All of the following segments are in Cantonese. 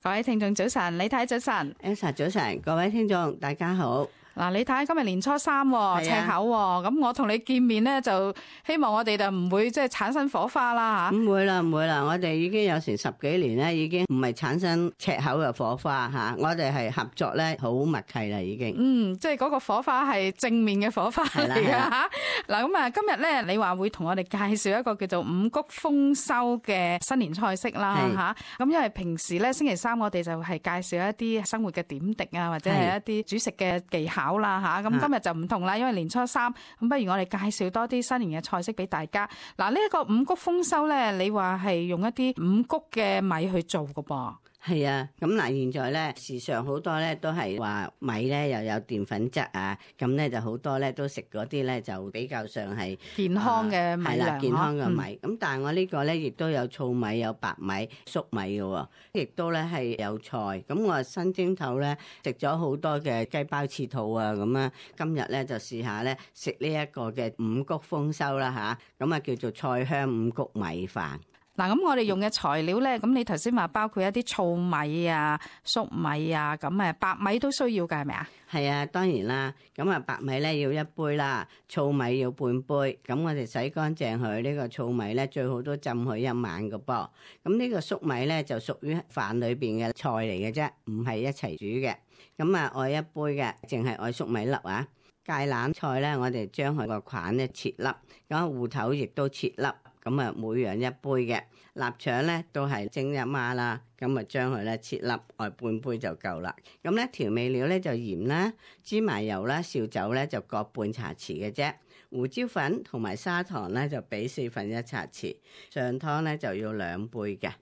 各位聽眾早晨，李太早晨 Elsa 早晨，各位聽眾大家好。嗱，李太今日年初三喎，赤口喎，咁我同你見面咧，就希望我哋就唔會即係產生火花啦吓。唔會啦，我哋已經有成10幾年咧，已經唔係產生赤口嘅火花吓，我哋係合作咧好默契啦，已經。即係嗰個火花係正面嘅火花嚟嘅吓。嗱，咁啊，今日咧你話會同我哋介紹一個叫做五穀豐收嘅新年菜式啦吓。咁因為平時咧星期三我哋就係介紹一啲生活嘅點滴啊，或者係一啲煮食嘅技巧啦吓，咁今日就唔同啦，因為年初三，咁不如我哋介紹多啲新年嘅菜式俾大家。嗱，呢一個五穀豐收咧，你話係用一啲五穀嘅米去做㗎噃？係啊，咁嗱，現在咧時常好多咧都係話米咧又有澱粉質啊，咁咧就好多咧都食嗰啲咧就比較上係健康嘅米糧，係啦，健康嘅米。咁但係我呢個咧亦都有糙米、有白米、粟米嘅喎，亦都咧係有菜。咁我新蒸頭咧食咗好多嘅雞包翅肚啊，咁啊，今日咧就試下咧食呢一個嘅五穀豐收啦吓，咁啊叫做菜香五穀米飯。嗱，咁我哋用嘅材料咧，咁你頭先話包括一啲糙米啊、粟米啊，咁誒白米都需要㗎，係咪啊？係啊，當然啦。咁啊，白米咧要1杯啦，糙米要半杯。咁我哋洗乾淨佢，呢個糙米咧最好都浸佢1晚㗎噃。咁呢個粟米咧就屬於飯裏邊嘅菜嚟嘅啫，唔係一齊煮嘅。咁啊，愛1杯嘅，淨係愛粟米粒啊。芥蘭菜咧，我哋將佢個梗咧切粒，咁芋頭亦都切粒。咁啊，每樣1杯嘅臘腸咧，都係蒸1碼啦。咁啊，將佢咧切粒，愛半杯就夠啦。咁咧調味料咧就鹽啦、芝麻油啦、紹酒咧就各半茶匙嘅啫。胡椒粉同埋砂糖咧就俾1/4茶匙。上湯咧就要2杯嘅。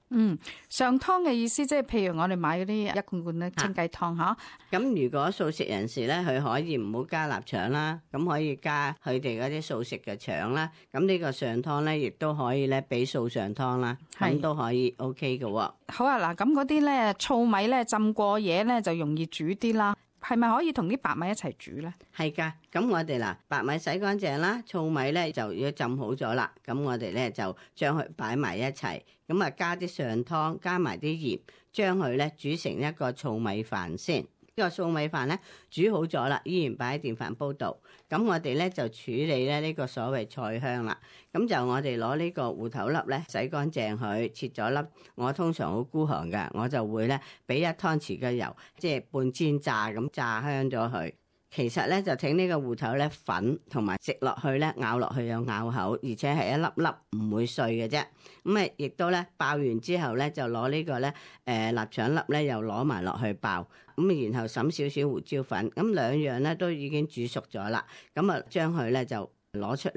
上湯嘅意思即係譬如我哋買嗰啲1罐罐咧清雞湯嚇。咁如果素食人士咧，佢可以唔好加臘腸啦，咁可以加佢哋嗰啲素食嘅腸啦。咁呢個上湯咧，亦都可以咧俾素上湯啦，咁都可以 OK 嘅喎。好啊，嗱，咁嗰啲咧糙米咧浸過夜咧就容易煮啲啦，係咪可以同啲白米一齊煮咧？係噶，咁我哋嗱白米洗乾淨啦，糙米咧就要浸好咗啦，咁我哋咧就將佢擺埋一齊，咁啊加啲上湯，加埋啲鹽，將佢咧煮成一個糙米飯先。呢個糙米飯咧煮好咗啦，依然擺喺電飯煲度。咁我哋咧就處理咧呢個所謂菜香啦。咁就我哋攞呢個芋頭粒咧洗乾淨佢，切咗粒。我通常好孤寒㗎，我就會咧俾1湯匙嘅油，即係半煎炸咁炸香咗佢。其實咧就整呢個芋頭咧粉，同埋食落去咧咬落去有咬口，而且係一粒粒唔會碎嘅啫。咁啊，亦都咧爆完之後咧就攞呢個咧臘腸粒咧又攞埋落去爆，咁然後揼少少胡椒粉，咁兩樣咧都已經煮熟咗啦。咁啊將佢咧就攞出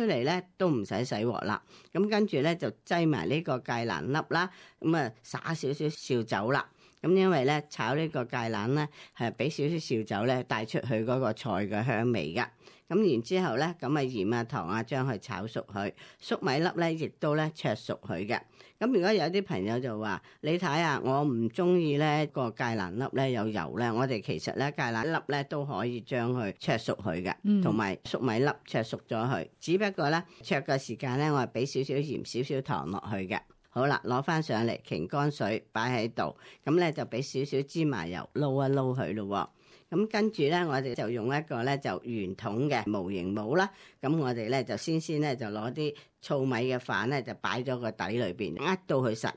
嚟咧都唔使洗鑊啦。咁跟住咧就擠埋呢個芥蘭粒啦，咁啊灑少少紹酒啦。咁因為咧炒呢個芥蘭咧係俾少少紹酒咧帶出去嗰個菜嘅香味噶。咁然之後咧咁啊鹽啊糖啊將佢炒熟佢，粟米粒咧亦都咧灼熟佢嘅。咁如果有啲朋友就話你睇下我唔中意咧個芥蘭粒咧有油咧，我哋其實咧芥蘭粒咧都可以將佢灼熟佢嘅，同埋粟米粒灼熟咗佢。只不過咧灼嘅時間咧我係俾少少鹽少少糖落去嘅。好啦，攞翻上嚟，擎乾水擺喺度，咁咧就俾少少芝麻油撈一撈佢咯。咁跟住咧，我哋就用一個咧就圓筒嘅模型模啦。咁我哋咧就先咧就攞啲糙米嘅飯咧就擺咗個底裏邊，壓到佢實。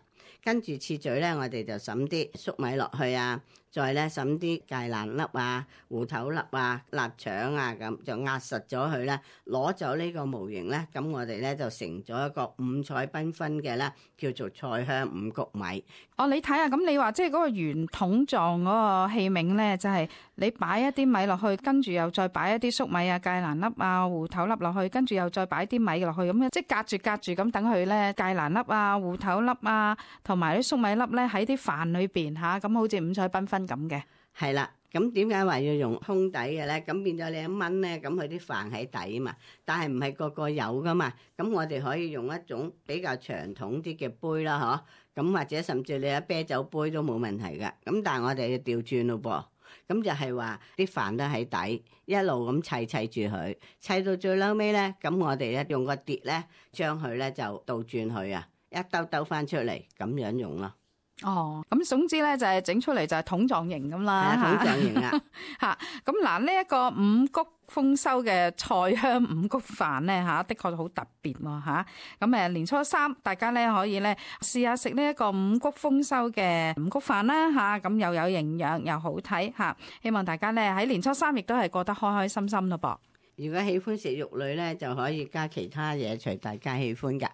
跟住次序咧，我哋就揼啲粟米落去啊，再咧揼啲芥蘭粒啊、芋頭粒啊、臘腸啊，咁就壓實咗佢咧，攞走呢個模型咧，咁我哋咧就成咗一個五彩繽紛嘅咧，叫做菜香五穀米。你睇下，咁你話即係嗰個圓筒狀嗰個器皿咧，就係你擺一啲米落去，跟住又再擺一啲粟米啊、芥蘭粒啊、芋頭粒落去，跟住又再擺啲米落去，咁樣即係隔住咁等佢咧，芥蘭粒啊、芋頭粒啊，同埋啲粟米粒咧喺啲飯裏邊嚇，咁好似五彩繽紛咁嘅。係啦，咁點解話要用空底嘅咧？咁變咗你一炆咧，咁佢啲飯喺底啊嘛，但係唔係個個有噶嘛。咁我哋可以用一種比較長筒啲嘅杯啦，嗬。咁或者甚至你有啤酒杯都冇問題嘅。咁但係我哋要調轉咯噃。咁就係話啲飯都喺底，一路咁砌住佢，砌到最嬲尾咧，咁我哋咧用個碟咧，將佢咧就倒轉佢啊，一兜翻出嚟咁樣用咯。哦，咁總之咧就係整出嚟就係桶狀型咁啦，桶狀型啦。嚇，咁嗱呢一個五穀豐收嘅菜香五穀飯咧嚇，的確好特別喎嚇。咁年初三大家咧可以咧試下食呢一個五穀豐收嘅五穀飯啦嚇，咁又有營養又好睇嚇。希望大家咧喺年初三亦都係過得開開心心咯噃。如果喜歡食肉類咧，就可以加其他嘢，隨大家喜歡㗎。